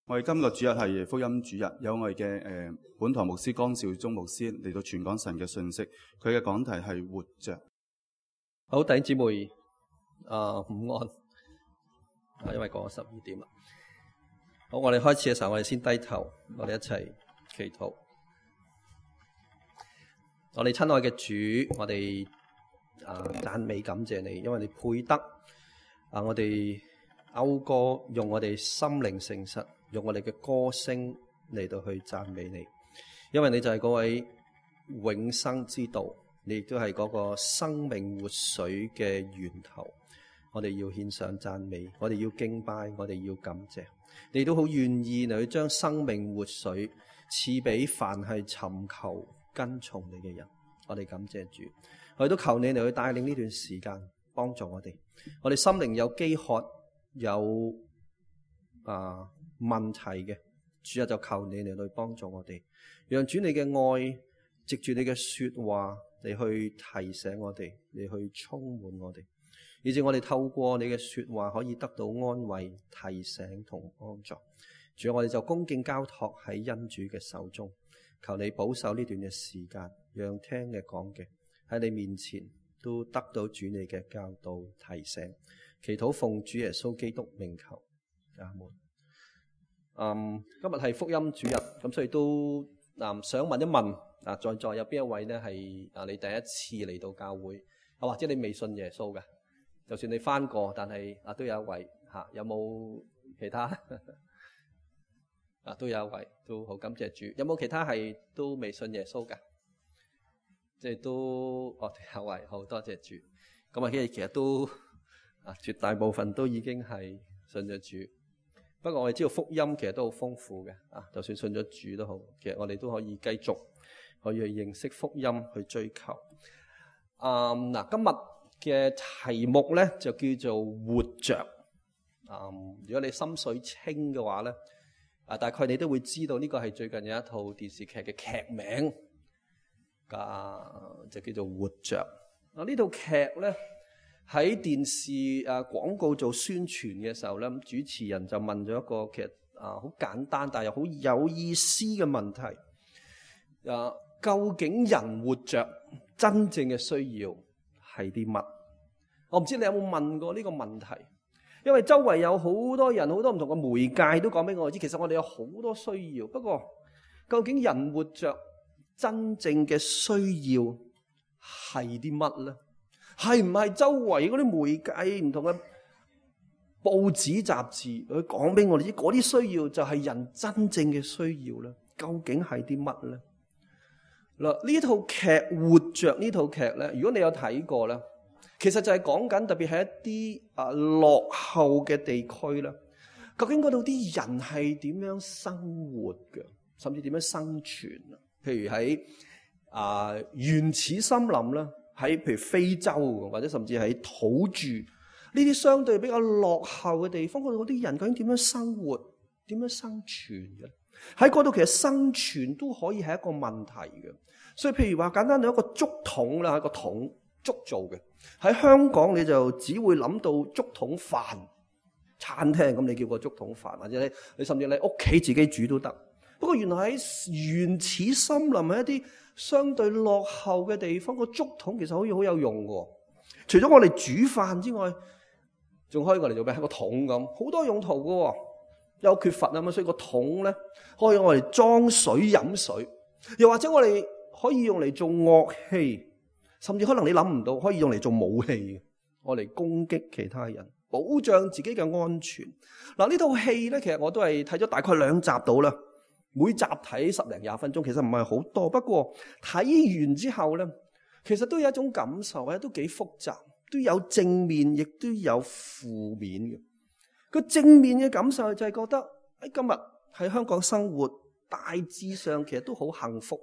我哋今個主日係福音主日，有我哋嘅本堂牧師江少忠牧師嚟到傳講神嘅信息。佢嘅講題係活着。好，弟兄姊妹，午安。因為過咗12點啦。好，我哋開始嘅時候，我哋先低頭，我哋一齊祈禱。我哋親愛嘅主，我哋讚美感謝你，因為你配得我哋謳歌，用我哋心靈誠實，用我哋嘅歌聲嚟到去讚美你，因為你就係嗰位永生之道，你亦都係嗰個生命活水嘅源頭。我哋要獻上讚美，我哋要敬拜，我哋要感謝。你都好願意嚟去將生命活水賜俾凡係尋求跟從你嘅人。我哋感謝主，我哋都求你嚟去帶領呢段時間，幫助我哋。我哋心靈有飢渴，有問題嘅，主啊，就求你嚟去幫助我哋，讓主你嘅愛藉住你嘅說話嚟去提醒我哋，嚟去充滿我哋，以致我哋透過你嘅說話可以得到安慰、提醒同幫助。主啊，我哋就恭敬交託喺恩主嘅手中，求你保守呢段嘅時間，讓聽嘅講嘅喺你面前都得到主你嘅教導提醒。祈禱奉主耶穌基督名求，阿門。今日係福音主日，咁所以都想問一問在座有邊一位呢係你第一次嚟到教會，或者你未信耶穌嘅？就算你返過，但係都有一位有冇其他？都有一位，都好感謝主。有冇其他係都未信耶穌嘅？即係都有位，好多謝主。咁其實都絕大部分都已經係信咗主。不過我哋知道福音其實都好豐富嘅，就算信咗主都好，其實我哋都可以繼續可以去認識福音，去追求。今日嘅題目咧就叫做活着。如果你心水清嘅話咧，大概你都會知道呢個係最近有一套電視劇嘅劇名，就叫做活着。呢套劇咧喺電視廣告做宣傳嘅時候咧，主持人就問咗一個其實好簡單但係又好有意思嘅問題。究竟人活着真正嘅需要係啲乜？我唔知你有冇問過呢個問題，因為周圍有好多人，好多唔同嘅媒介都講俾我知，其實我哋有好多需要。不過究竟人活着真正嘅需要係啲乜咧？係唔係周圍嗰啲媒介唔同嘅報紙雜誌佢講俾我哋知嗰啲需要就係人真正嘅需要咧？究竟係啲乜咧？嗱，呢套劇活着呢套劇咧，如果你有睇過咧，其實就係講緊特別係一啲落後嘅地區啦，究竟嗰度啲人係點樣生活嘅，甚至點樣生存啊？譬如喺原始森林啦，喺譬如非洲或者甚至喺土著呢啲相對比較落後嘅地方，嗰度嗰啲人究竟點樣生活、點樣生存嘅？喺嗰度其實生存都可以係一個問題嘅。所以譬如話簡單到一個竹筒啦，一個桶竹做嘅，喺香港你就只會諗到竹筒飯餐廳，咁你叫個竹筒飯，或者你甚至你屋企自己煮都得。不過原來喺原始森林喺一啲相對落後嘅地方，個竹筒其實可以好有用嘅。除咗我哋煮飯之外，仲可以我哋做咩？係個桶咁，好多用途嘅。有缺乏啊嘛，所以個桶咧可以我哋裝水飲水，又或者我哋可以用嚟做樂器，甚至可能你諗唔到可以用嚟做武器，我嚟攻擊其他人，保障自己嘅安全。嗱，呢套戲咧，其實我都係睇咗大概2集到啦，每集睇10零20分鐘，其實唔係好多。不過睇完之後咧，其實都有一種感受咧，都幾複雜，都有正面，亦都有負面嘅。個正面嘅感受就係覺得喺今日喺香港生活，大致上其實都好幸福。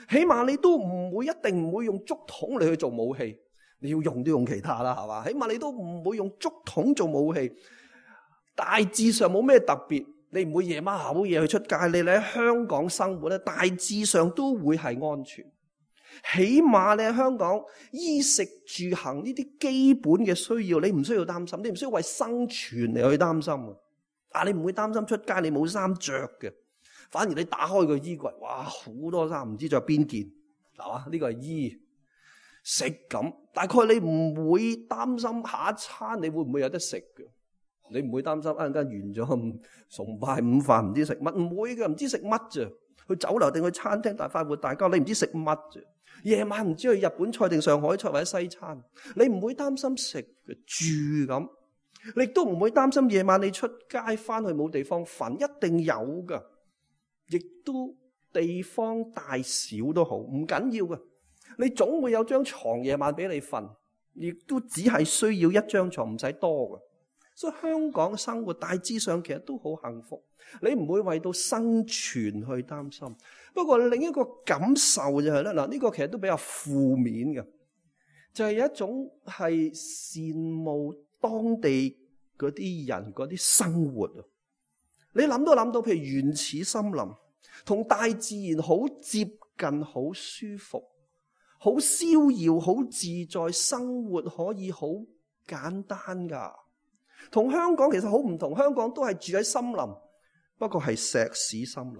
起碼你都一定唔會用竹筒嚟去做武器，你要用都用其他啦，係嘛？起碼你都唔會用竹筒做武器，大致上冇咩特別。你唔會夜晚口夜去出街，你喺香港生活咧，大致上都會係安全。起碼你喺香港衣食住行呢啲基本嘅需要，你唔需要擔心，你唔需要為生存嚟去擔心。你唔會擔心出街你冇衫着嘅，反而你打開個衣櫃，哇，好多衫，唔知着邊件，係嘛？呢個係衣食咁，大概你唔會擔心下一餐你會唔會有得食嘅，你唔會擔心一陣間完咗崇拜午飯唔知食乜，唔會嘅，唔知食乜啫。去酒樓定去餐廳大快活大家，你唔知食乜啫。夜晚唔知去日本菜定上海菜或者西餐，你唔會擔心食嘅住咁，你亦都唔會擔心夜晚你出街翻去冇地方瞓，一定有噶，亦都地方大小都好，唔緊要嘅，你總會有張床夜晚俾你瞓，亦都只係需要一張床，唔使多嘅。所以香港生活大致上其實都好幸福，你唔會為到生存去擔心。不過另一個感受就係咧，呢個其實都比較負面嘅，就係有一種係羨慕當地嗰啲人嗰啲生活啊。你諗都諗到，譬如原始森林，同大自然好接近，好舒服，好逍遙，好自在，生活可以好簡單噶。同香港其實好唔同，香港都係住喺森林，不過係石屎森林。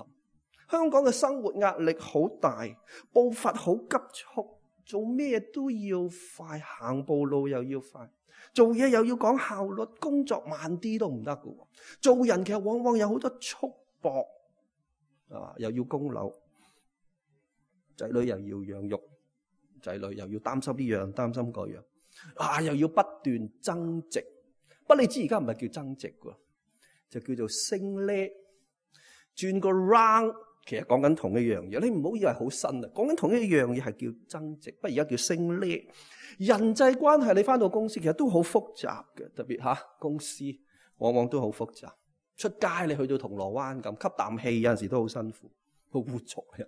香港嘅生活壓力好大，步伐好急促，做咩都要快，行步路又要快，做嘢又要講效率，工作慢啲都唔得㗎。做人其實往往有好多束縛，又要供樓，仔女又要養育，仔女又要擔心呢樣擔心嗰樣，又要不斷增值。不過你知而家唔係叫增值㗎，就叫做升呢，轉個 round， 其實講緊同一樣嘢。你唔好以為好新啊，講緊同一樣嘢係叫增值，不過而家叫升呢。人際關係你返到公司其實都好複雜嘅，特別公司往往都好複雜。出街你去到銅鑼灣咁吸啖氣，有陣時都好辛苦，好污糟嘅。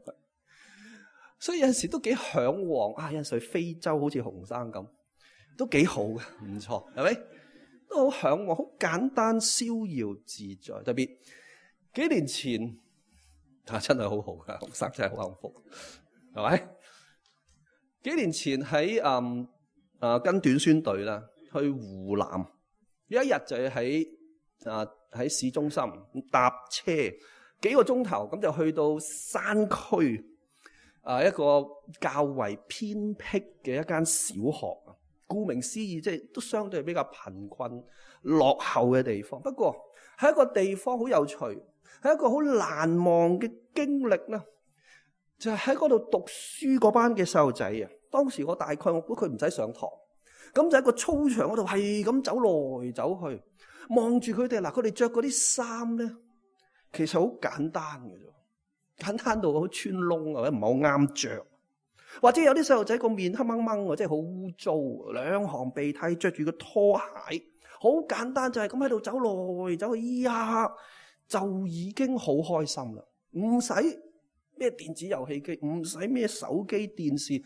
所以有陣時都幾嚮往有陣時去非洲好似洪生咁，都幾好嘅，唔錯，係咪？都好嚮往，好簡單逍遙自在。特別幾年前真係好好㗎，洪生真係好幸福，係咪？幾年前喺跟短宣隊啦，去湖南，有一日就喺市中心搭車幾個鐘頭，咁就去到山區一個較為偏僻嘅一間小學。顧名思義，即係都相對比較貧困落後嘅地方。不過係一個地方好有趣，係一個好難忘嘅經歷啦。就係喺嗰度讀書嗰班嘅細路仔啊。當時我大概我估佢唔使上堂，咁就喺個操場嗰度係咁走來走去，望住佢哋。佢哋着嗰啲衫咧，其實好簡單嘅啫，簡單到好穿窿或者唔係好啱着。或者有啲細路仔個面黑掹掹，即係好污糟，兩行鼻涕，着住個拖鞋，好簡單，就係咁喺度走來走去，就已經好開心啦。唔使咩電子遊戲機，唔使咩手機電視，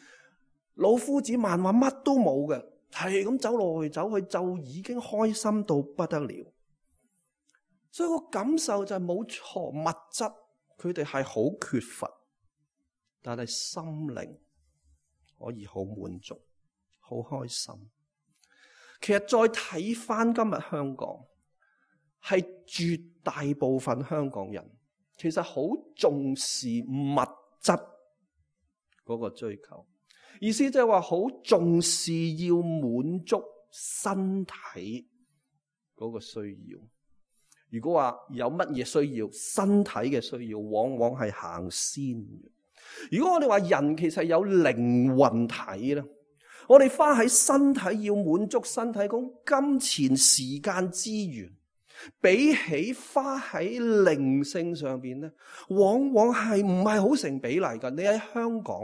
老夫子漫畫乜都冇嘅，係咁走來走去，就已經開心到不得了。所以個感受就係冇錯，物質佢哋係好缺乏，但係心靈可以好滿足，好開心。其實再睇翻今日香港，係絕大部分香港人其實好重視物質嗰個追求，意思即係話好重視要滿足身體嗰個需要。如果話有乜嘢需要，身體嘅需要往往係行先嘅。如果我哋話人其實有靈魂體咧，我哋花喺身體要滿足身體嗰金錢、時間、資源，比起花喺靈性上邊咧，往往係唔係好成比例㗎。你喺香港，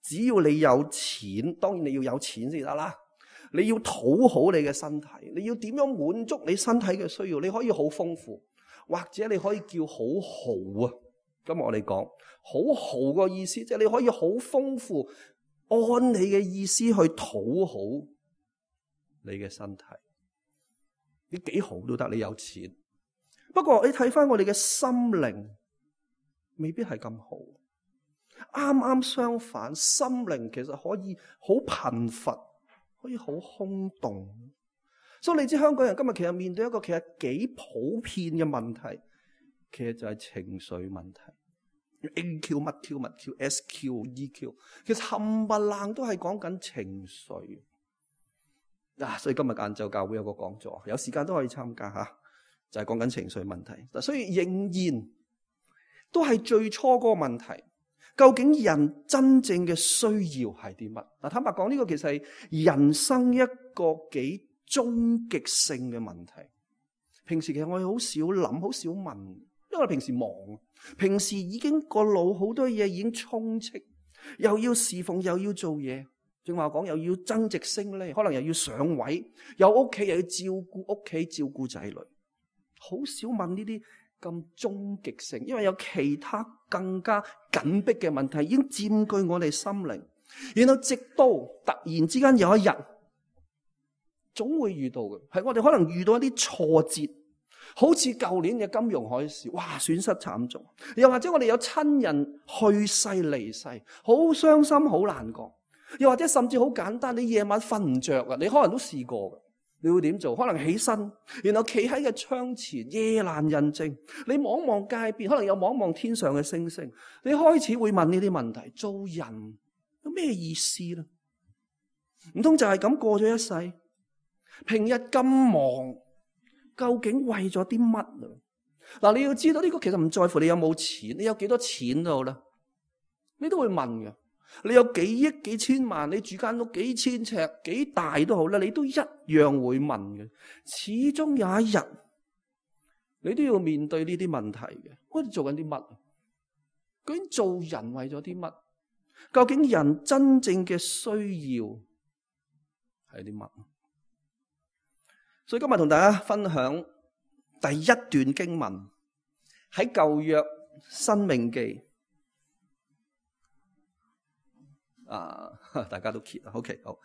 只要你有錢，當然你要有錢先得啦。你要討好你嘅身體，你要點樣滿足你身體嘅需要？你可以好豐富，或者你可以叫好豪啊。今日我哋講好豪個意思，即係你可以好豐富，按你嘅意思去討好你嘅身體，你幾豪都得，你有錢。不過你睇翻我哋嘅心靈，未必係咁好。啱啱相反，心靈其實可以好貧乏，可以好空洞。所以你知香港人今日其實面對一個其實幾普遍嘅問題，其實就係情緒問題。AQ 乜 Q 乜 Q、SQ、EQ， 其實冚唪唥都係講緊情緒。所以今日晏晝教會有個講座，有時間都可以參加吓，就係講緊情緒問題。所以仍然都係最初嗰個問題，究竟人真正嘅需要係啲乜？坦白講，呢個其實係人生一個幾終極性嘅問題。平時其實我哋好少諗，好少問，因為我哋平時忙，平時已經個腦好多嘢已經充斥，又要侍奉，又要做嘢。正話講，又要增值升呢，可能又要上位，有屋企又要照顧屋企，照顧仔女，好少問呢啲咁終極性，因為有其他更加緊迫嘅問題已經佔據我哋心靈。然後直到突然之間有一日，總會遇到嘅，係我哋可能遇到一啲挫折，好似舊年嘅金融海嘯，哇，損失慘重；又或者我哋有親人去世離世，好傷心，好難過。又或者甚至好簡單，你夜晚瞓唔着啊，你可能都試過嘅。你會點做？可能起身，然後企喺個窗前，夜闌人靜，你望望街邊，可能有望望天上嘅星星，你開始會問呢啲問題：做人有咩意思呢？唔通就係咁過咗一世？平日咁忙，究竟為咗啲乜啊？嗱，你要知道呢個其實唔在乎你有冇錢，你有幾多錢都好啦，你都會問嘅。你有幾億幾千萬，你住間屋幾千尺幾大都好啦，你都一樣會問嘅。始終有一日，你都要面對呢啲問題嘅。我哋做緊啲乜？究竟做人為咗啲乜？究竟人真正嘅需要係啲乜？所以今日同大家分享第一段經文，喺舊約申命記。大家都揭啦。OK， 好。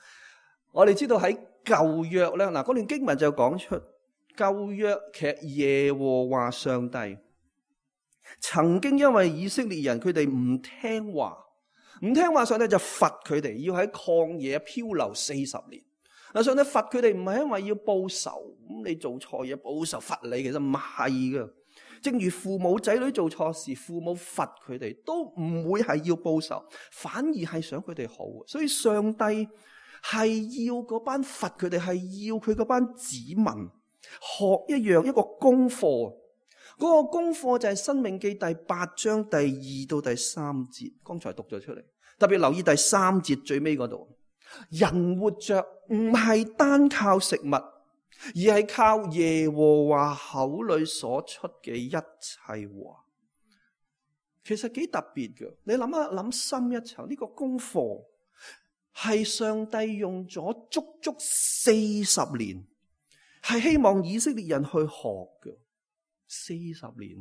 我哋知道喺舊約咧，嗰段經文就講出舊約其實耶和華上帝曾經因為以色列人佢哋唔聽話，上帝就罰佢哋要喺曠野漂流40年。上帝罰佢哋唔係因為要報仇，咁你做錯嘢報仇罰你，其實唔係噶。正如父母仔女做錯事，父母罰佢哋都唔會係要報仇，反而係想佢哋好。所以上帝係要嗰班罰佢哋，係要佢嗰班子民學一個功課。嗰個功課就係《申命記》第8章第2到第3節，剛才讀咗出嚟。特別留意第3節最尾嗰度，人活着唔係單靠食物，而係靠耶和華口裏所出嘅一切話。其實幾特別嘅，你諗深一層，呢個功課係上帝用咗足40年，係希望以色列人去學嘅。40年，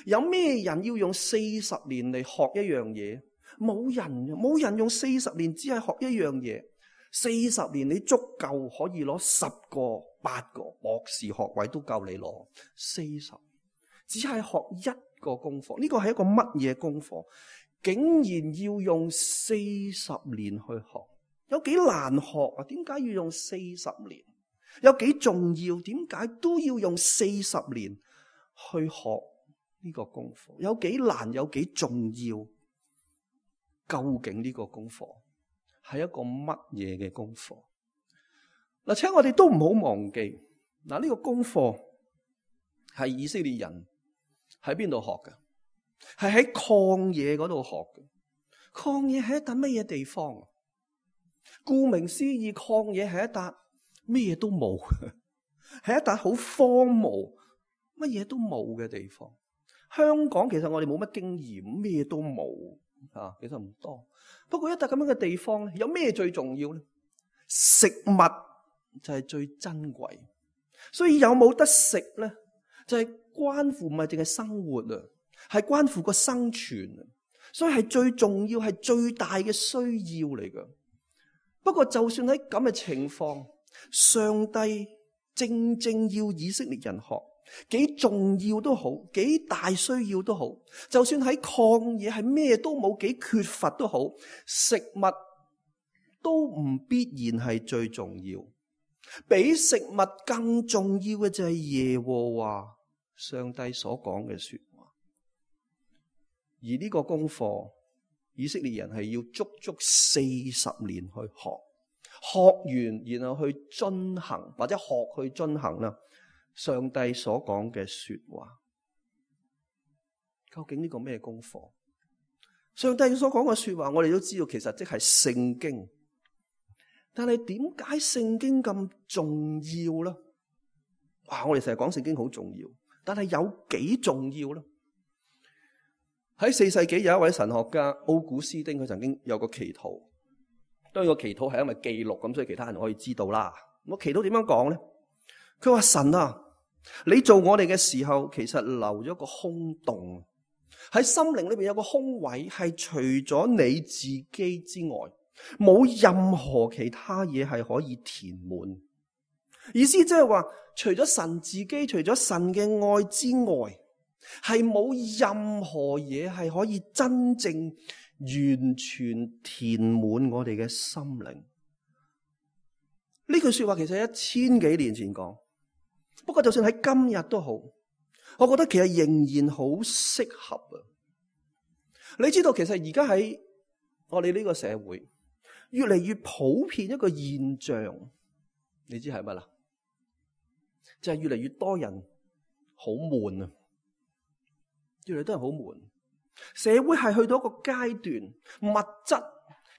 有咩人要用40年嚟學一樣嘢？冇人用40年只係學一樣嘢。40年你足夠可以攞10個、8個博士學位都夠你攞。40只係學一個功課，呢個係一個乜嘢功課？竟然要用40年去學，有幾難學啊？點解要用40年？有幾重要？點解都要用40年去學呢個功課？有幾難？有幾重要？究竟呢個功課係一個乜嘢嘅功課？嗱，請我哋都唔好忘記，嗱，呢個功課係以色列人喺邊度學嘅？係喺曠野嗰度學嘅。曠野係一笪乜嘢地方？顧名思義，曠野係一笪咩都冇，係一笪好荒蕪，乜嘢都冇嘅地方。香港其實我哋冇乜經驗，咩都冇。其實唔多，不過一笪咁樣嘅地方咧，有咩最重要咧？食物就係最珍貴，所以有冇得食咧，就係關乎唔係淨係生活啊，係關乎個生存啊，所以係最重要，係最大嘅需要嚟噶。不過就算喺咁嘅情況，上帝正正要以色列人學。幾重要都好，幾大需要都好，就算喺曠野係咩都冇，幾缺乏都好，食物都唔必然係最重要。比食物更重要嘅就係耶和華上帝所講嘅說話。而呢個功課，以色列人係要足足40年去學，學完然後去遵行，或者學去遵行啦。上帝所講嘅說話，究竟呢個咩功課？上帝所講嘅說話，我哋都知道，其實即係聖經。但係點解聖經咁重要呢？哇！我哋成日講聖經好重要，但係有幾重要呢？喺4世紀有一位神學家奧古斯丁，佢曾經有個祈禱。當然個祈禱係因為記錄咁，所以其他人可以知道啦。個祈禱點樣講呢？佢話：神啊，你做我哋嘅時候，其實留咗個空洞，喺心靈裏邊有個空位，係除咗你自己之外，冇任何其他嘢係可以填滿。意思即係話，除咗神自己，除咗神嘅愛之外，係冇任何嘢係可以真正完全填滿我哋嘅心靈。呢句說話其實1000幾年前講，不過就算喺今日都好，我覺得其實仍然好適合啊！你知道其實而家喺我哋呢個社會越嚟越普遍一個現象，你知係乜啦？就係越嚟越多人好悶啊！越嚟越多人好悶，社會係去到一個階段，物質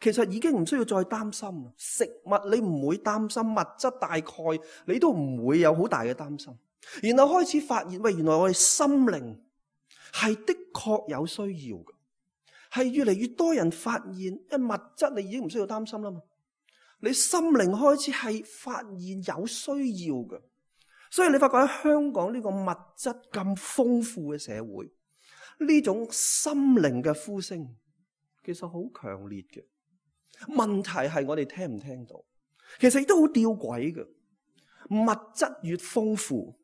其實已經唔需要再擔心。食物你唔會擔心，物質大概你都唔會有好大嘅擔心。然後開始發現，喂，原來我哋心靈係的確有需要嘅，係越嚟越多人發現，因為物質你已經唔需要擔心啦嘛，你心靈開始係發現有需要嘅。所以你發覺喺香港呢個物質咁豐富嘅社會，呢種心靈嘅呼聲其實好強烈嘅。問題係我哋聽唔聽到？其實亦都好吊詭嘅。物質越豐富，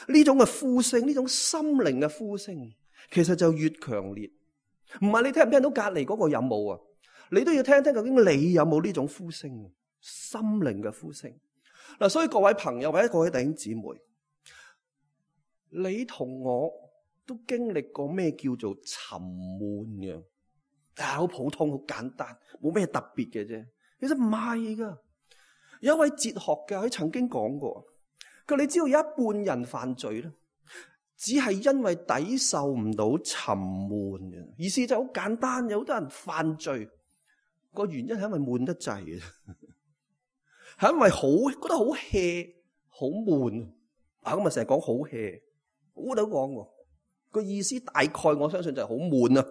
呢種嘅呼聲，呢種心靈嘅呼聲，其實就越強烈。唔係你聽唔聽到隔籬嗰個有冇啊？你都要聽聽究竟你有冇呢種呼聲，心靈嘅呼聲。嗱，所以各位朋友或者各位弟兄姊妹，你同我都經歷過咩叫做沉悶嘅？好普通，好簡單，冇咩特別嘅啫。其實唔係噶。有一位哲學家佢曾經講過，佢你知道有一半人犯罪咧，只係因為抵受唔到沉悶嘅。意思就好簡單，有好多人犯罪個原因係因為悶得滯嘅，係因為覺得好 hea 好悶啊。咁啊成日講好 hea， 好多講喎。個意思大概我相信就係好悶啊。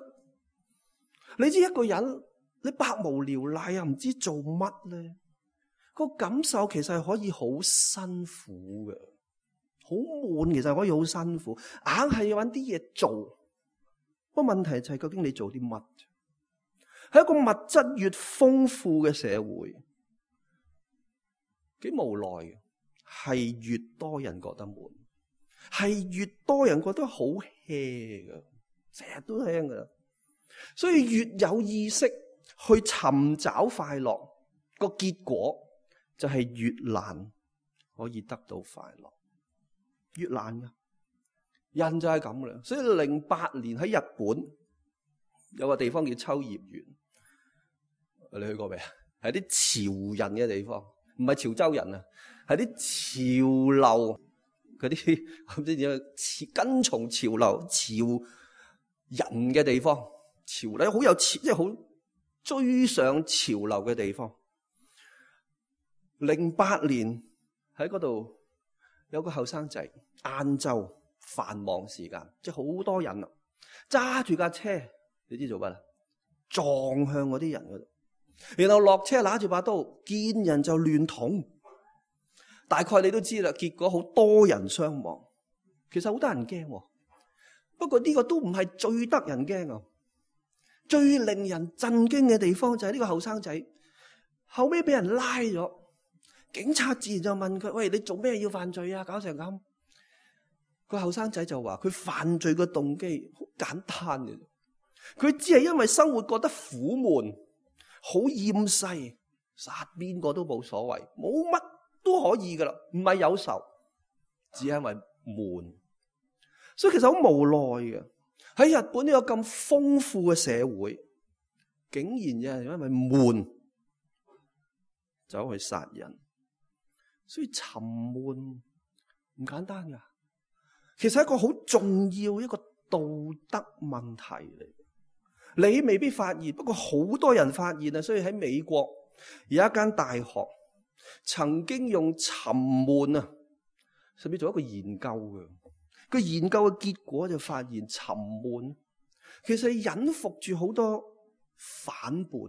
你知一個人你百無聊賴又唔知做乜咧，個感受其實係可以好辛苦嘅，好悶，其實可以好辛苦，硬係要搵啲嘢做。個問題就係究竟你做啲乜？喺一個物質越豐富嘅社會，幾無奈嘅，係越多人覺得悶，係越多人覺得好 hea 嘅，成日都聽噶。所以越有意識去尋找快樂，個結果就係越難可以得到快樂，越難噶。人就係咁噶啦。所以08年喺日本有個地方叫秋葉原，你去過未啊？係啲潮人嘅地方，唔係潮州人啊，係啲潮流嗰啲唔知點樣跟從潮流潮人嘅地方。潮流好有潮，即係好追上潮流嘅地方。08年喺嗰度有個後生仔，晏晝繁忙時間，即係好多人啊，揸住架車，你知做乜啦？撞向嗰啲人嗰度，然後落車拿住把刀，見人就亂捅。大概你都知啦，結果好多人傷亡。其實好多人驚，不過呢個都唔係最得人驚啊。最令人震驚嘅地方就係呢個後生仔後尾俾人拉咗，警察自然就問佢：喂，你做咩要犯罪啊？搞成咁。個後生仔就話佢犯罪嘅動機好簡單嘅，佢只係因為生活覺得苦悶，好厭世，殺邊個都冇所謂，冇乜都可以噶啦，唔係有仇，只係因為悶。所以其實好無奈嘅，喺日本呢個咁豐富嘅社會，竟然有人因為悶走去殺人。所以沉悶唔簡單噶，其實係一個好重要一個道德問題嚟。你未必發現，不過好多人發現啊。所以喺美國有一間大學曾經用沉悶啊，甚至做一個研究嘅。個研究嘅結果就發現，沉悶其實隱伏住好多反叛、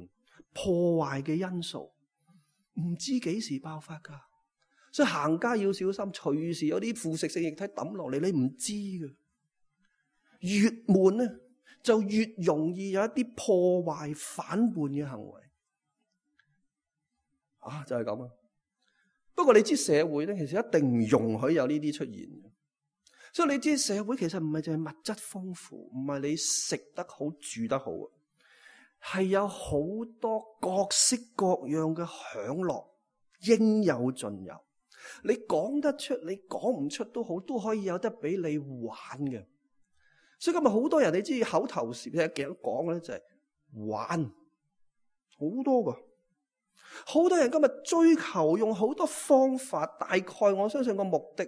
破壞嘅因素，唔知幾時爆發噶。所以行街要小心，隨時有啲腐蝕性液體抌落嚟，你唔知嘅。越悶咧，就越容易有一啲破壞反叛嘅行為啊，就係咁啊。不過你知社會咧，其實一定唔容許有呢啲出現嘅。所以你知社會其實唔係淨係物質豐富，唔係你食得好住得好，係有好多各式各樣嘅享樂應有盡有。你講得出，你講唔出都好，都可以有得俾你玩嘅。所以今日好多人你知口頭禪成日講嘅咧，就係玩，好多噶。好多人今日追求用好多方法，大概我相信個目的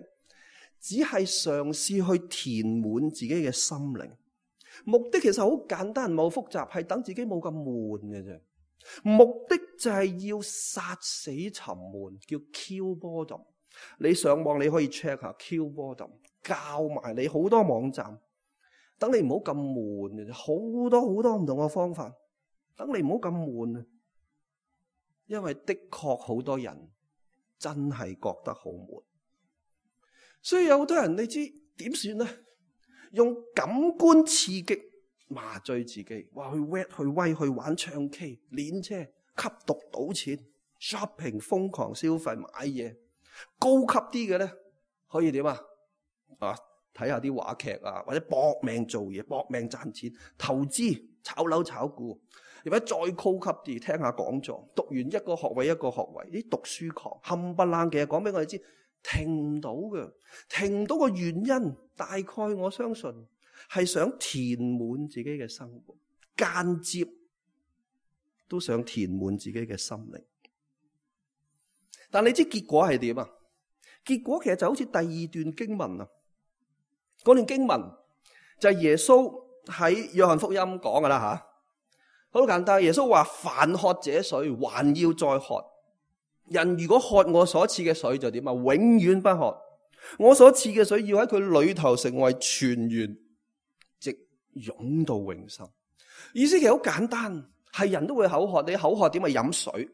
只係嘗試去填滿自己嘅心靈。目的其實好簡單，唔係好複雜，係等自己冇咁悶嘅啫。目的就係要殺死沉悶，叫 kill boredom。你上網你可以 check 下 kill boredom， 教埋你好多網站，等你唔好咁悶嘅啫。好多好多唔同嘅方法，等你唔好咁悶啊。因為的確好多人真係覺得好悶，所以有好多人你知點算呢？用感官刺激麻醉自己，話去 wet 去威去玩唱 K 練車吸毒賭錢 shopping 瘋狂消費買嘢。高級啲嘅咧可以點啊？睇下啲話劇啊，或者搏命做嘢搏命賺錢投資炒樓炒股。如果再高級啲，聽下講座，讀完一個學位一個學位，啲讀書狂冚唪唥嘅講俾我哋知，停唔到嘅，停唔到個原因，大概我相信係想填滿自己嘅生活，間接都想填滿自己嘅心靈。但你知結果係點啊？結果其實就好似第二段經文啊，嗰段經文就係耶穌喺約翰福音講噶啦吓。好簡單，耶穌話：凡喝這水，還要再喝。人如果喝我所賜嘅水，就點啊？永遠不渴。我所賜嘅水要喺佢裏頭成為泉源，直湧到永生。意思其實好簡單，係人都會口渴，你口渴點啊？飲水，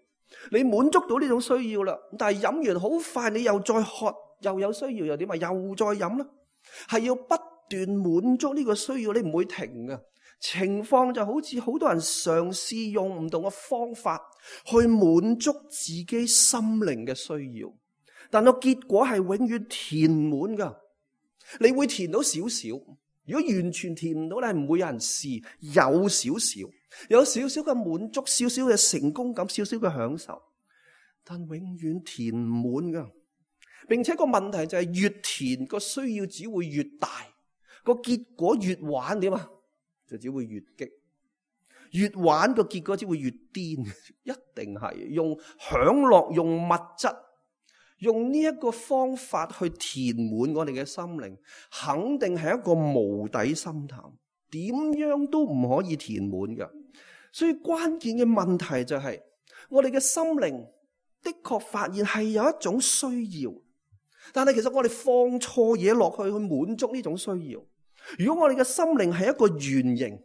你滿足到呢種需要啦。但係飲完好快，你又再渴，又有需要，又點啊？又再飲啦，係要不斷滿足呢個需要，你唔會停㗎。情況就好似好多人嘗試用唔同嘅方法去滿足自己心靈嘅需要，但個結果係永遠填滿噶。你會填到少少，如果完全填唔到咧，唔會有人試。有少少嘅滿足，少少嘅成功感，少少嘅享受，但永遠填唔滿噶。並且個問題就係越填個需要只會越大，個結果越玩點啊？就只會越激，越玩個結果只會越癲，一定係用享樂、用物質、用呢一個方法去填滿我哋嘅心靈，肯定係一個無底深潭，點樣都唔可以填滿㗎。所以關鍵嘅問題就係，我哋嘅心靈的確發現係有一種需要，但係其實我哋放錯嘢落去滿足呢種需要。如果我哋嘅心靈係一個圓形，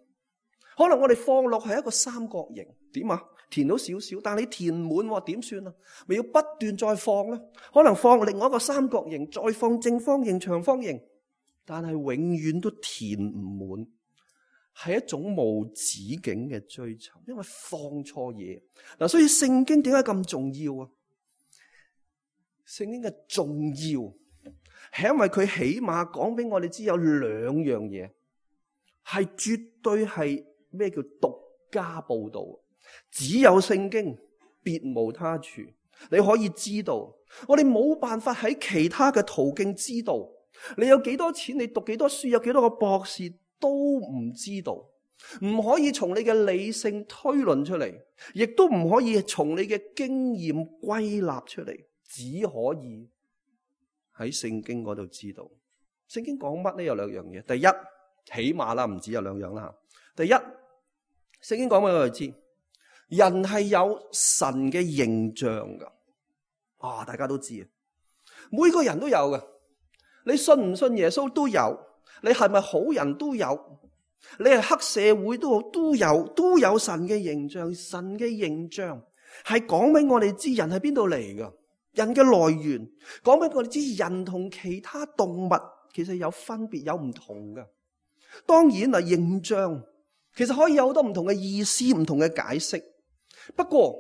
可能我哋放落係一個三角形，點啊？填到少少，但係你填滿點算啊？咪要不斷再放咧？可能放另外一個三角形，再放正方形、長方形，但係永遠都填唔滿，係一種無止境嘅追求，因為放錯嘢嗱。所以聖經點解咁重要啊？聖經嘅重要係因為佢起碼講俾我哋知有兩樣嘢係絕對係咩叫獨家報道，只有聖經別無他處，你可以知道。我哋冇辦法喺其他嘅途徑知道。你有幾多錢，你讀幾多書，有幾多個博士都唔知道。唔可以從你嘅理性推論出嚟，亦都唔可以從你嘅經驗歸納出嚟，只可以喺聖經嗰度知道。聖經講乜呢？有兩樣嘢。第一，起碼啦，唔止有兩樣啦。第一，聖經講俾我哋知，人係有神嘅形象噶。大家都知啊，每個人都有嘅。你信唔信耶穌都有，你係咪好人都有，你係黑社會都好，都有神嘅形象。神嘅形象係講俾我哋知人係邊度嚟噶，人嘅來源，講俾我哋知人同其他動物其實有分別，有唔同噶。當然啊，形象其實可以有好多唔同嘅意思，唔同嘅解釋。不過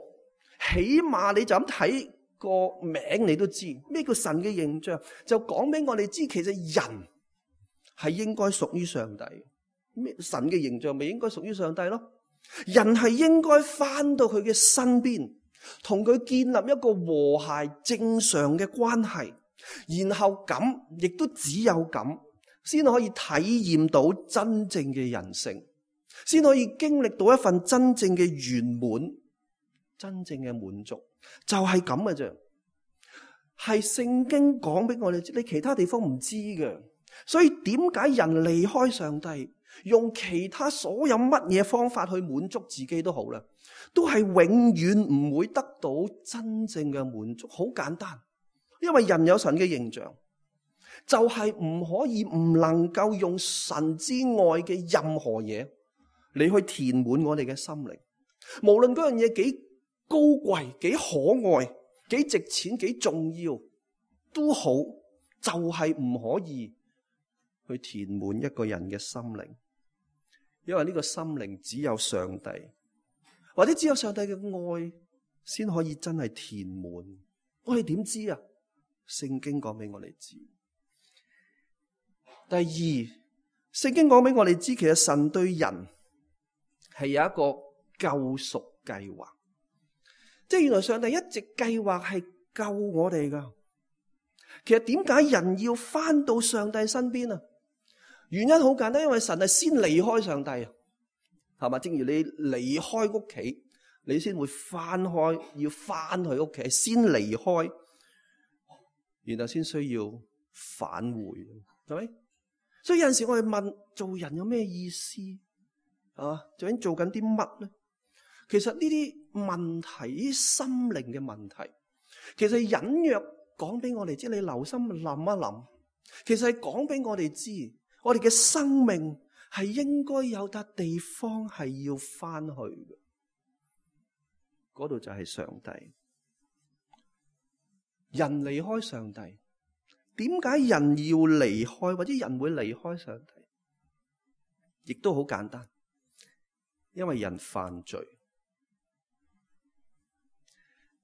起碼你就咁睇個名，你都知咩叫神嘅形象，就講俾我哋知，其實人係應該屬於上帝。咩神嘅形象咪應該屬於上帝咯？人係應該翻到佢嘅身邊，同佢建立一個和諧正常嘅關係，然後咁亦都只有咁先可以體驗到真正嘅人性，先可以經歷到一份真正嘅圓滿，真正嘅滿足。就係咁嘅啫，係聖經講俾我哋知，你其他地方唔知嘅。所以點解人離開上帝，用其他所有乜嘢方法去滿足自己都好啦，都係永遠唔會得到真正嘅滿足。好簡單，因為人有神嘅形象，就係唔可以唔能夠用神之外嘅任何嘢你去填滿我哋嘅心靈。無論嗰樣嘢幾高貴、幾可愛、幾值錢、幾重要都好，就係唔可以去填滿一個人嘅心靈。因為呢個心靈只有上帝，或者只有上帝嘅愛先可以真係填滿。我哋點知啊？聖經講俾我哋知。第二，聖經講俾我哋知，其實神對人係有一個救贖計劃。即係原來上帝一直計劃係救我哋噶。其實點解人要翻到上帝身邊啊？原因好簡單，因為神係先離開上帝啊，係嘛？正如你離開屋企，你先會要翻去屋企，先離開，然後先需要返回，係咪？所以有陣時我哋問，做人有咩意思啊？究竟做緊啲乜咧？其實呢啲問題，呢啲心靈嘅問題，其實隱約講俾我哋知，你留心諗一諗，其實係講俾我哋知，我哋嘅生命係應該有笪地方係要翻去嘅，嗰度就係上帝。人離開上帝，點解人要離開，或者人會離開上帝？亦都好簡單，因為人犯罪。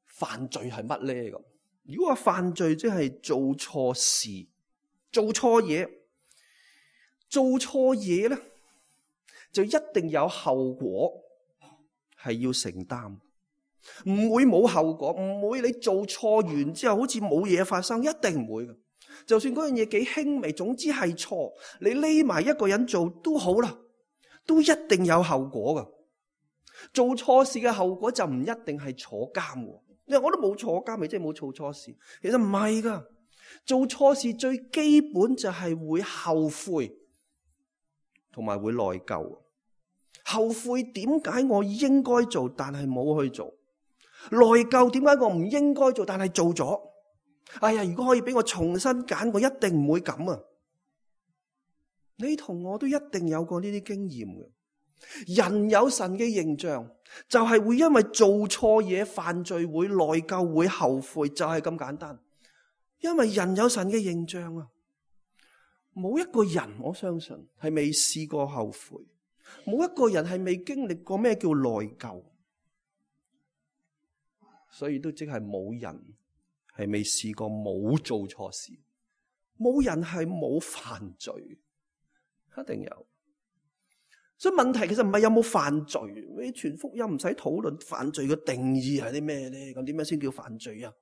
犯罪係乜咧？咁如果話犯罪，即係做錯事、做錯嘢。做錯嘢咧，就一定有後果係要承擔，唔會冇後果，唔會你做錯完之後好似冇嘢發生，一定唔會嘅。就算嗰樣嘢幾輕微，總之係錯，你匿埋一個人做都好啦，都一定有後果噶。做錯事嘅後果就唔一定係坐監喎，因為我都冇坐監，咪即係冇做錯事。其實唔係噶，做錯事最基本就係會後悔。同埋會內疚，後悔點解我應該做但係冇去做，內疚點解我唔應該做但係做咗。哎呀，如果可以俾我重新揀，我一定唔會咁啊！你同我都一定有過呢啲經驗嘅。人有神嘅形象，就係會因為做錯嘢犯罪，會內疚，會後悔，就係咁簡單。因為人有神嘅形象啊！冇一個人，我相信係未試過後悔，冇一個人係未經歷過咩叫內疚，所以都即係冇人係未試過冇做錯事，冇人係冇犯罪，一定有。所以問題其實唔係有冇犯罪，你傳福音唔使討論犯罪嘅定義係啲咩咧？咁點樣先叫犯罪啊？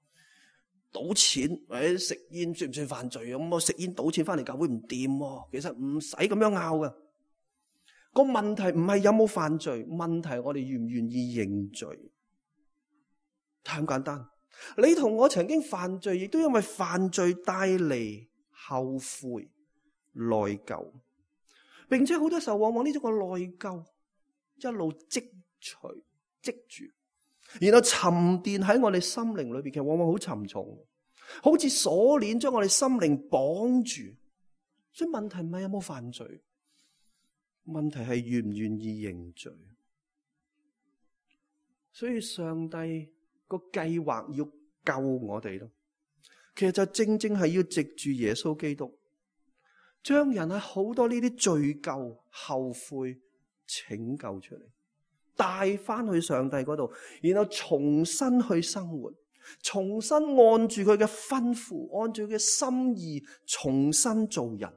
賭錢或者食煙算唔算犯罪啊？咁我食煙賭錢翻嚟教會唔掂喎，其實唔使咁樣拗噶。個問題唔係有冇犯罪，問題我哋願唔願意認罪，太咁簡單。你同我曾經犯罪，亦都因為犯罪帶嚟後悔、內疚，並且好多時候往往呢種個內疚一路積住，然後沉澱喺我哋心靈裏邊，其實往往好沉重，好似鎖鏈將我哋心靈綁住。所以問題唔係有冇犯罪，問題係願唔願意認罪。所以上帝個計劃要救我哋咯，其實就正正係要藉住耶穌基督，將人喺好多呢啲罪疚、後悔拯救出嚟，帶翻去上帝嗰度，然後重新去生活，重新按住佢嘅吩咐，按住佢嘅心意，重新做人，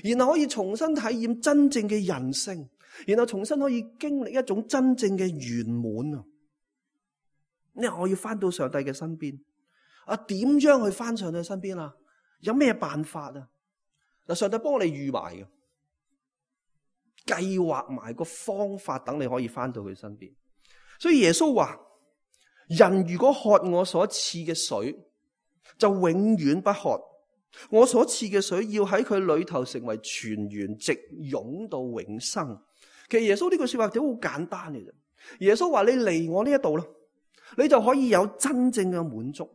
然後可以重新體驗真正嘅人性，然後重新可以經歷一種真正嘅圓滿啊！因為我要翻到上帝嘅身邊啊，點樣去翻上帝身邊啊？有咩辦法啊？嗱，上帝幫我哋預埋嘅，計劃埋個方法，等你可以翻到佢身邊。所以耶穌話：人如果喝我所賜嘅水，就永遠不渴。我所賜嘅水要喺佢裏頭成為泉源，直湧到永生。其實耶穌呢句說話都好簡單嘅啫。耶穌話：你嚟我呢一度啦，你就可以有真正嘅滿足，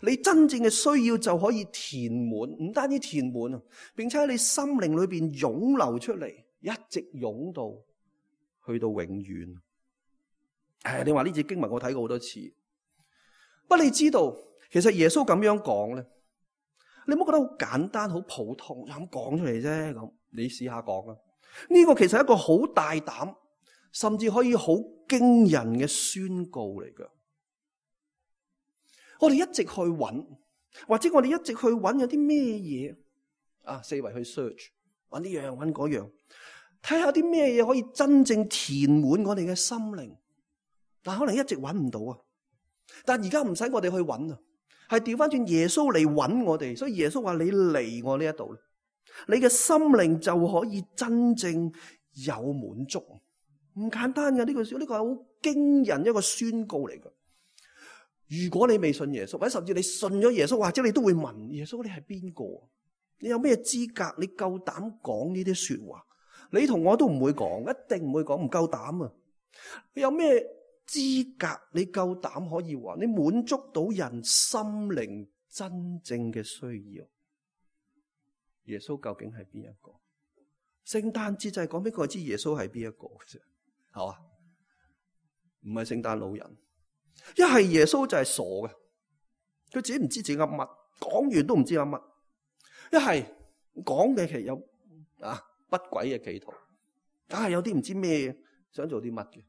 你真正嘅需要就可以填滿，唔單止填滿啊，並且喺你心靈裏邊湧流出嚟，一直湧到去到永遠。你話呢節經文我睇過好多次，不過你知道其實耶穌咁樣講咧，你唔好覺得好簡單好普通，就咁講出嚟啫。咁你試下講啊，呢個其實係一個好大膽，甚至可以好驚人嘅宣告嚟㗎。我哋一直去揾，或者我哋一直去揾有啲咩嘢啊，四圍去 search， 揾呢樣揾嗰樣，睇下啲咩嘢可以真正填滿我哋嘅心靈，但可能一直揾唔到啊。但而家唔使我哋去揾啊，係調翻轉耶穌嚟揾我哋。所以耶穌話：你嚟我呢一度，你嘅心靈就可以真正有滿足。唔簡單嘅呢句，呢個係好驚人一個宣告嚟㗎。如果你未信耶穌，或者甚至你信咗耶穌，或者你都會問耶穌：你係邊個？你有咩資格？你夠膽講呢啲說話？你同我都唔會講，一定唔會講，唔夠膽啊！你有咩資格？你夠膽可以話你滿足到人心靈真正嘅需要？耶穌究竟係邊一個？聖誕節就係講俾佢知耶穌係邊一個嘅啫，係嘛？唔係聖誕老人。一係耶穌就係傻嘅，佢自己唔知自己噏乜，講完都唔知噏乜。一係講嘅其實有不軌嘅企圖，梗係有啲唔知咩想做啲乜嘅。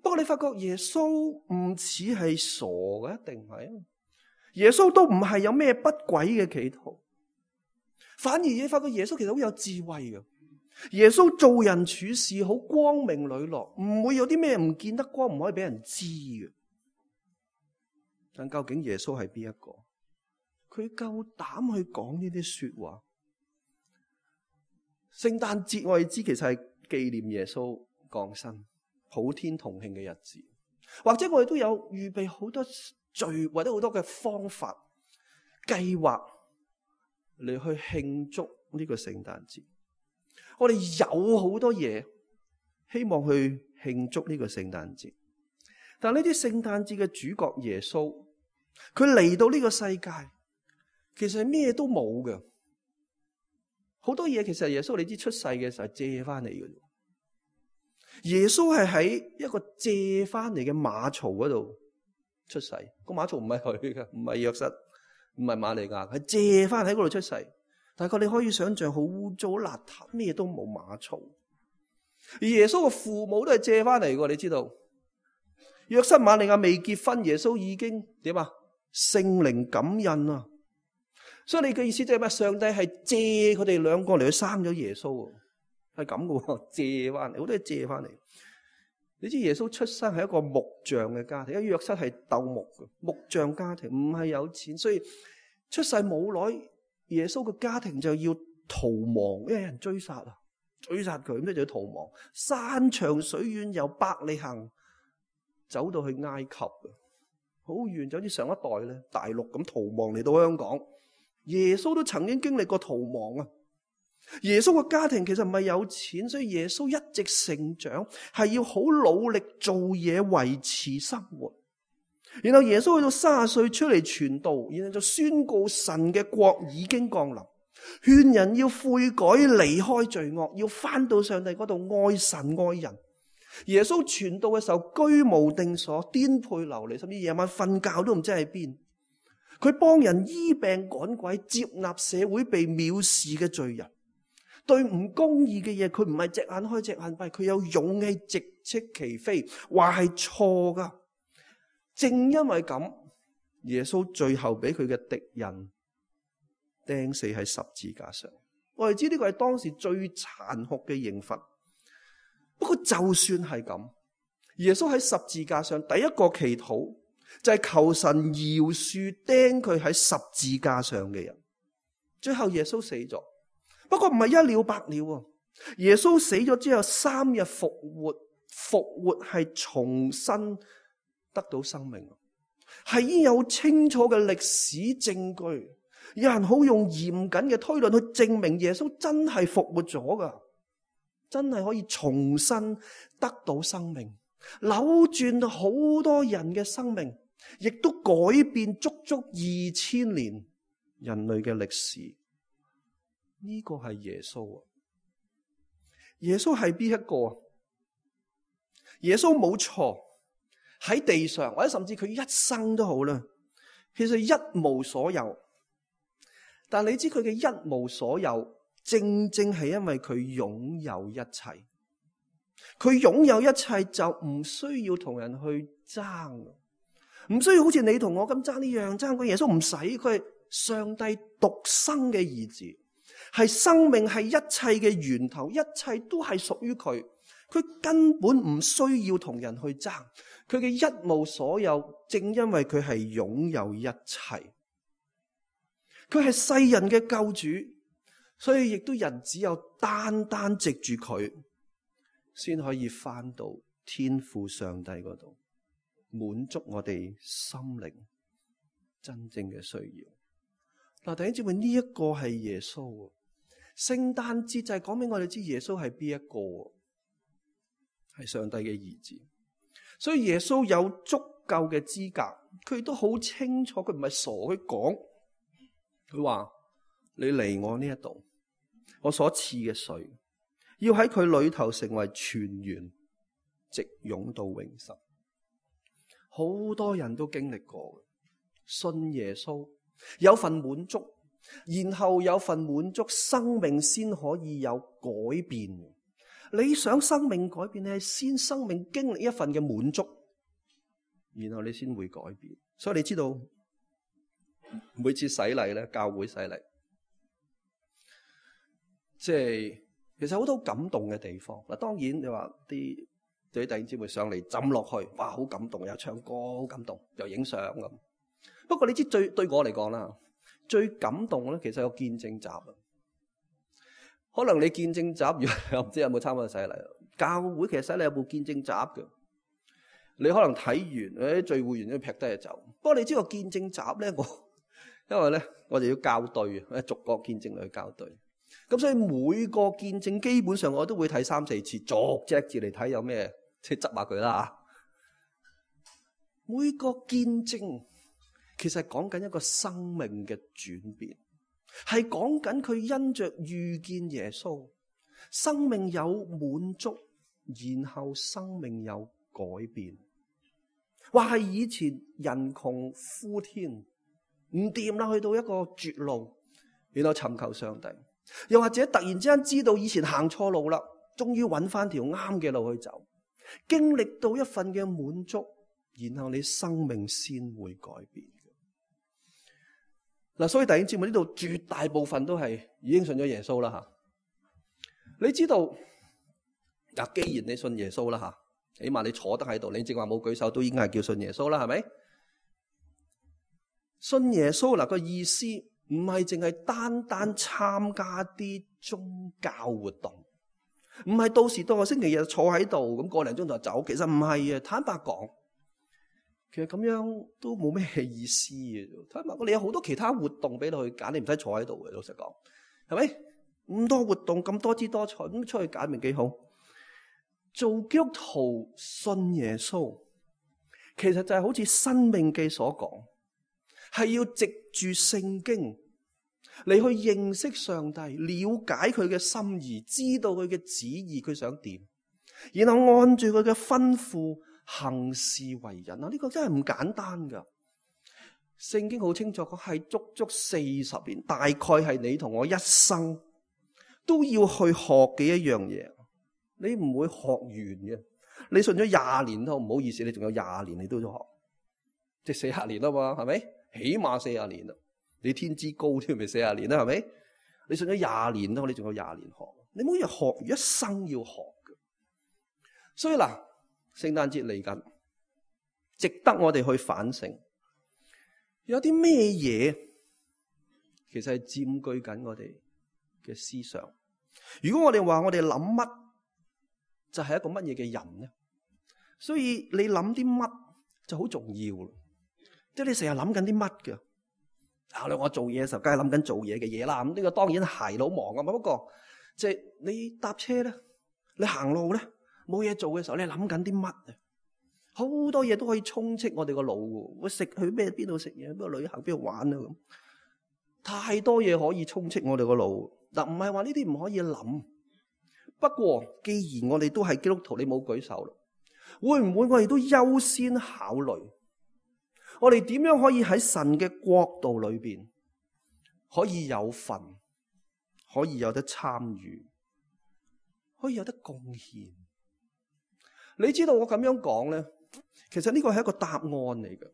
不過你發覺耶穌唔似係傻嘅，一定係耶穌都唔係有咩不軌嘅企圖，反而你發覺耶穌其實好有智慧嘅。耶穌做人處事好光明磊落，唔會有啲咩唔見得光唔可以俾人知嘅。但究竟耶穌係邊一個？佢夠膽去講呢啲說話？聖誕節我哋知其實係紀念耶穌降生、普天同慶嘅日子，或者我哋都有預備好多聚或者好多嘅方法計劃嚟去慶祝呢個聖誕節。我哋有好多嘢希望去慶祝呢個聖誕節。但呢啲聖誕節嘅主角耶穌，佢嚟到呢個世界，其實係咩都冇嘅。好多嘢其實耶穌你知出世嘅時候借翻嚟嘅。耶穌係喺一個借翻嚟嘅馬槽嗰度出世，個馬槽唔係佢嘅，唔係約瑟，唔係瑪利亞，係借翻喺嗰度出世。大概你可以想象好污糟邋遢，咩都冇馬槽。而耶穌嘅父母都係借翻嚟嘅，你知道？約瑟瑪利亞未結婚，耶穌已經點啊？聖靈感孕啊！所以你嘅意思即係咩？上帝係借佢哋兩個嚟去生咗耶穌。係咁嘅喎，借翻嚟，好多嘢借翻嚟。你知耶穌出生係一個木匠嘅家庭，因為約瑟係鬥木嘅木匠家庭，唔係有錢，所以出世冇耐，耶穌嘅家庭就要逃亡，因為有人追殺佢，咁就要逃亡。山長水遠由伯利恆走到去埃及，好遠，就好似上一代咧大陸咁逃亡嚟到香港。耶穌都曾經經歷過逃亡啊！耶穌嘅家庭其實唔係有錢，所以耶穌一直成長係要好努力做嘢維持生活。然後耶穌去到30歲出嚟傳道，然後就宣告神嘅國已經降臨，勸人要悔改離開罪惡，要翻到上帝嗰度愛神愛人。耶穌傳道嘅時候居無定所，顛沛流離，甚至夜晚瞓覺都唔知喺邊。佢幫人醫病趕鬼，接納社會被藐視嘅罪人。對唔公義嘅嘢，佢唔係隻眼開隻眼閉，佢有勇氣直斥其非，話係錯噶。正因為咁，耶穌最後俾佢嘅敵人釘死喺十字架上。我哋知呢個係當時最殘酷嘅刑罰。不過就算係咁，耶穌喺十字架上第一個祈禱就係求神饒恕釘佢喺十字架上嘅人。最後耶穌死咗。不過唔係一了百了，耶穌死咗之後3日復活，復活係重新得到生命，係已經有清楚嘅歷史證據，有人好用嚴謹嘅推論去證明耶穌真係復活咗噶，真係可以重新得到生命，扭轉好多人嘅生命，亦都改變足足2000年人類嘅歷史。呢個係耶穌啊！耶穌係邊一個？耶穌冇錯，喺地上或者甚至佢一生都好啦，其實一無所有。但你知佢嘅一無所有，正正係因為佢擁有一切。佢擁有一切就唔需要同人去爭，唔需要好似你同我咁爭呢樣爭嗰。耶穌唔使，佢係上帝獨生嘅兒子。係生命，係一切嘅源頭，一切都係屬於佢。佢根本唔需要同人去爭，佢嘅一無所有，正因為佢係擁有一切。佢係世人嘅救主，所以亦都人只有單單藉住佢，先可以返到天父上帝嗰度，滿足我哋心靈真正嘅需要。嗱，弟兄姊妹，呢一個係耶穌。聖誕節就係講俾我哋知耶穌係邊一個，係上帝嘅兒子。所以耶穌有足夠嘅資格，佢都好清楚，佢唔係傻，佢講，佢話你嚟我呢一度，我所賜嘅水要喺佢裏頭成為泉源，直湧到永生。好多人都經歷過，信耶穌有份滿足，然後有份滿足，生命先可以有改變。你想生命改變，你係先生命經歷一份嘅滿足，然後你先會改變。所以你知道每次洗禮咧，教會洗禮，即係其實好多感動嘅地方。嗱，當然你話啲弟兄姊妹上嚟浸落去，哇，好感動，又唱歌好感動，又影相咁。不過你知對我嚟講啦，最感動咧，其實有見證集啊。可能你見證集，又唔知有冇參加洗禮。教會其實洗禮有部見證集嘅。你可能睇完，聚會完都劈低就走。不過你知個見證集咧，因為咧我哋要校對，逐個見證嚟去校對。咁所以每個見證基本上我都會睇3-4次，逐隻字嚟睇有咩，即係執下佢啦嚇。每個見證其實係講緊一個生命嘅轉變，係講緊佢因着遇見耶穌，生命有滿足，然後生命有改變。話係以前人窮呼天，唔掂啦，去到一個絕路，然後尋求上帝。又或者突然之間知道以前行錯路啦，終於揾翻條啱嘅路去走，經歷到一份嘅滿足，然後你生命先會改變。嗱，所以弟兄姊妹，呢度絕大部分都係已經信咗耶穌啦吓。你知道嗱，既然你信耶穌啦吓，起碼你坐得喺度，你正話冇舉手都已經係叫信耶穌啦，係咪？信耶穌嗱個意思唔係淨係單單參加啲宗教活動，唔係到時到個星期日坐喺度咁個零鐘頭就走，其實唔係啊。坦白講，其實咁樣都冇咩意思嘅。坦白講，你有好多其他活動俾你去揀，你唔使坐喺度嘅。老實講，係咪？咁多活動，咁多姿多彩，咁出去揀咪幾好？做基督徒信耶穌，其實就係好似《申命記》所講，係要藉住聖經你去認識上帝，了解佢嘅心意，知道佢嘅旨意，佢想點，然後按住佢嘅吩咐行事為人啊！呢個真係唔簡單噶。聖經好清楚講，係足足40年，大概係你同我一生都要去學嘅一樣嘢。你唔會學完嘅。你信咗20年都唔好意思，你仲有20年你都要學，即係40年啊嘛，係咪？起碼40年啦。你天資高添，咪40年啦，係咪？你信咗20年都，你仲有20年學。你冇嘢學，一生要學嘅。所以嗱，聖誕節嚟緊，值得我哋去反省。有啲咩嘢其實係佔據緊我哋嘅思想？如果我哋話我哋諗乜，就係一個乜嘢嘅人咧？所以你諗啲乜就好重要，即係你成日諗緊啲乜嘅。我做嘢嘅時候，梗係諗緊做嘢嘅嘢啦。咁呢個當然係好忙啊嘛。不過即係你搭車咧，你行路咧，冇嘢做嘅時候，你諗緊啲乜啊？好多嘢都可以充斥我哋個腦嘅。我食去邊度食嘢，邊度旅行，邊度玩啊咁。太多嘢可以充斥我哋個腦。嗱，唔係話呢啲唔可以諗。不過既然我哋都係基督徒，你冇舉手啦，會唔會我哋都優先考慮？我哋點樣可以喺神嘅國度裏邊可以有份，可以有得參與，可以有得貢獻？你知道我咁樣講咧，其實呢個係一個答案嚟嘅，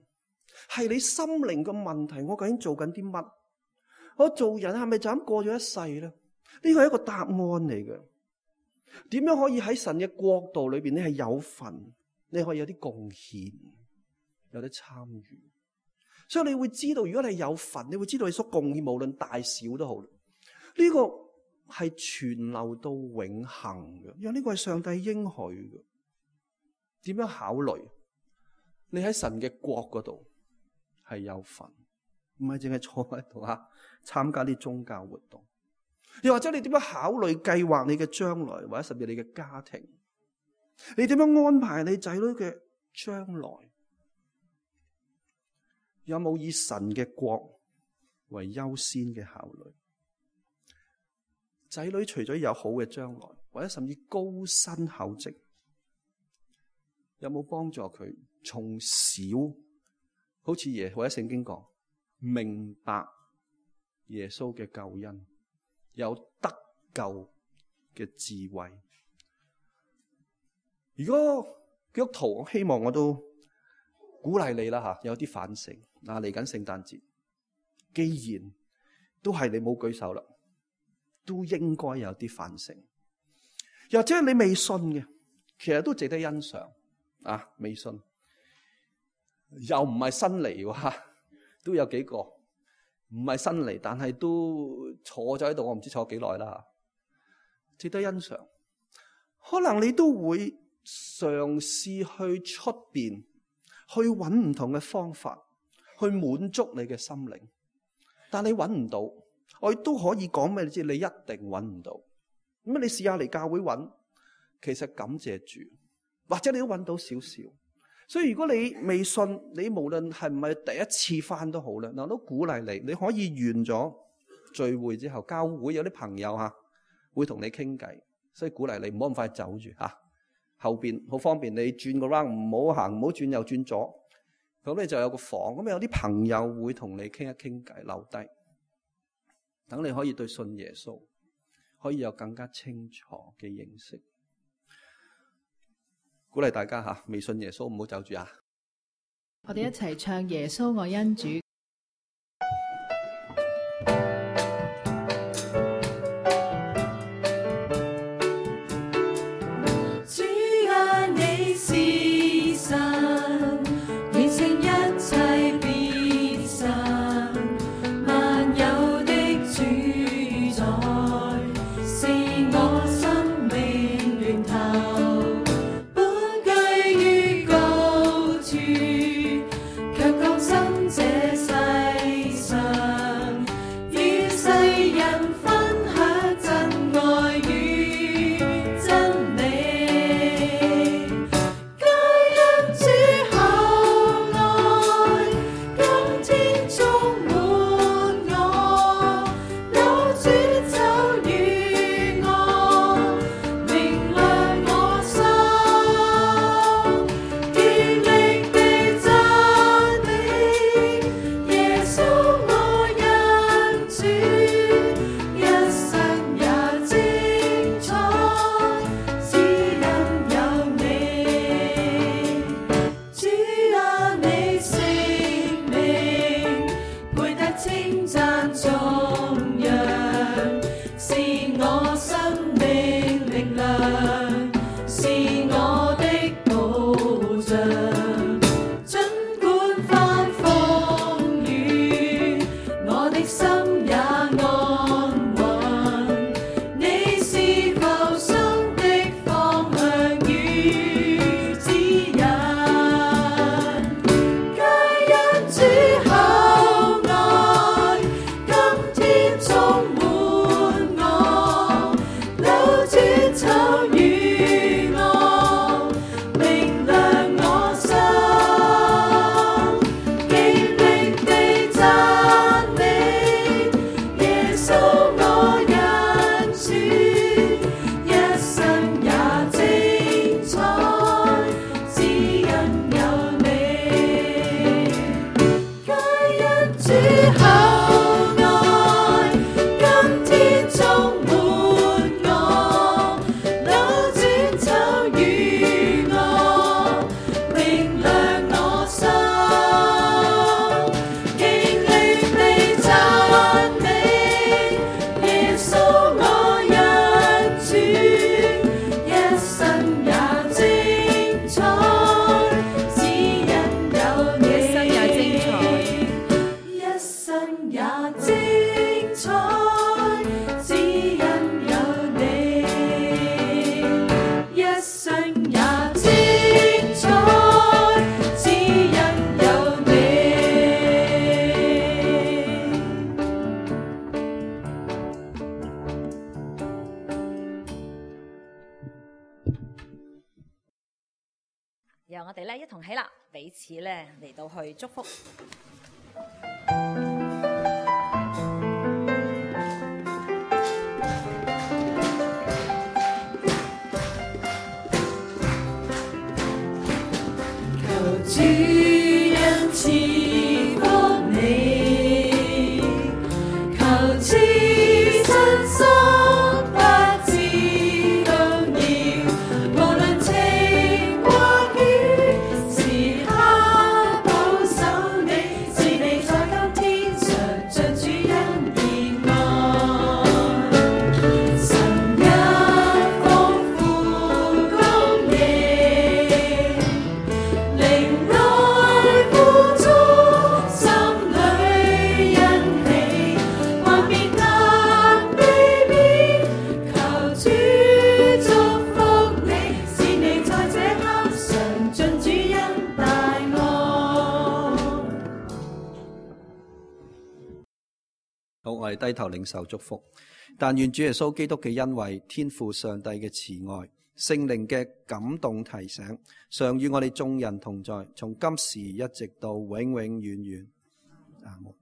係你心靈嘅問題。我究竟做緊啲乜？我做人係咪就咁過咗一世咧？呢個係一個答案嚟嘅。點樣可以喺神嘅國度裏邊，你係有份，你可以有啲貢獻，有得參與。所以你會知道，如果你係有份，你會知道你所貢獻無論大小都好。呢個係存留到永恆嘅，因為呢個係上帝應許嘅。點樣考慮？你喺神嘅國嗰度係有份，唔係淨係坐喺度參加啲宗教活動。又或者你點樣考慮計劃你嘅將來，或者甚至你嘅家庭？你點樣安排你仔女嘅將來？有冇以神嘅國為優先嘅考慮？仔女除咗有好嘅將來，或者甚至高薪厚職，有冇幫助佢從小好似或者聖經講，明白耶穌嘅救恩，有得救嘅智慧？如果基督徒，我希望我都鼓勵你啦有啲反省。嚟緊聖誕節，既然都係你冇舉手啦，都應該有啲反省。又或者你未信嘅，其實都值得欣賞未信又唔係新嚟喎，都有幾個唔係新嚟，但係都坐咗喺度，我唔知坐幾耐啦。值得欣賞。可能你都會嘗試去出邊去揾唔同嘅方法去滿足你嘅心靈，但你揾唔到，我亦都可以講俾你知，你一定揾唔到。咁你試下嚟教會揾，其實感謝主，或者你都揾到少少。所以如果你未信，你無論係唔係第一次返都好啦，我都鼓勵你，你可以完咗聚會之後，教會有啲朋友會同你傾偈，所以鼓勵你唔好咁快走住後邊好方便，你轉個 round 唔好行，唔好轉右轉左。咁你就有個房，咁有啲朋友會同你傾一傾偈，留低，等你可以對信耶穌可以有更加清楚嘅認識。鼓勵大家未信耶穌唔好走住我哋一齊唱耶穌愛恩主。我的保障，儘管翻風雨，我的心也安穩。你是浮生的方向與指引，皆因主厚愛，今天充滿我，扭轉醜與惡，明亮我心，極力地讚美耶穌我恩主，一生也精彩，只因有你，皆因主厚愛，今天充滿我，扭轉醜與惡，明亮我心，極力地讚美耶穌我恩主，一生也精彩，只因有你，一生也精彩，只因有你，一生也精彩，只因有你。讓我哋咧一同起立，彼此咧嚟到去祝福。求主恩賜福你，求賜真心不知動搖，無論晴或雨，時刻保守你，是你在今天常盡主恩憐愛，神一豐富供應。靈內富足，心裏欣喜，還別能避免。求主祝福你，是你在這刻常盡主恩大愛。好，我哋低頭領受祝福。但願主耶穌基督嘅恩惠、天父上帝嘅慈愛、聖靈嘅感動提醒，常與我哋眾人同在，從今時一直到永永遠遠。阿門。